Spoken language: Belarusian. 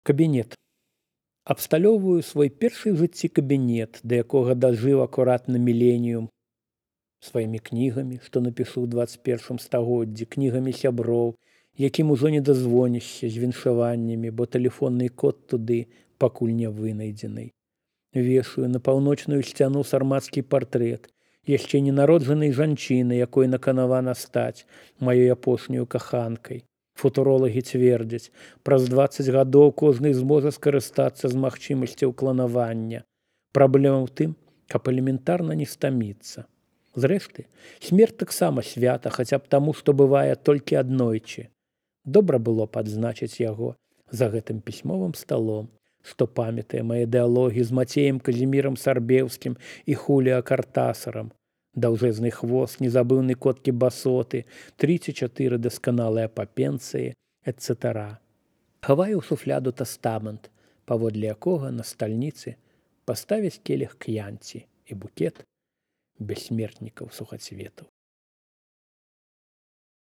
Кабінет. Абсталёўваю свой першы ў жыцці кабінет, да якога дажыў акуратна міленіум, сваімі кнігамі, што напішу ў 21 стагоддзі, кнігамі сяброў, якім ужо не дазвонішся з віншаваннямі, бо тэлефонны код туды пакуль не вынайдзены. Вешаю на паўночную сцяну сармацкі партрэт, яшчэ ненароджанай жанчыны, якой наканавана стаць маёй апошняю каханкай. Футуролагі цвердзяць, праз 20 гадоў кожны зможа скарыстацца з магчымасцяў кланавання. Праблема ў тым, каб элементарна не стаміцца. Зрэшты, смерць таксама свята, хаця б таму, што бывае толькі аднойчы. Добра было б адзначыць яго за гэтым пісьмовым сталом, што памятае мае дыялогі з Мацеем Казімірам Сарбеўскім і Хуліа Картасарам. Даўжэзны хвост, незабыўны коткі басоты, 3 ці 4 дасканалыя папенцыі, etc. Хаваю ў шуфляду тастамент, паводле якога на стальніцы паставяць келіх к'янці і букет бессмертнікаў сухацветаў.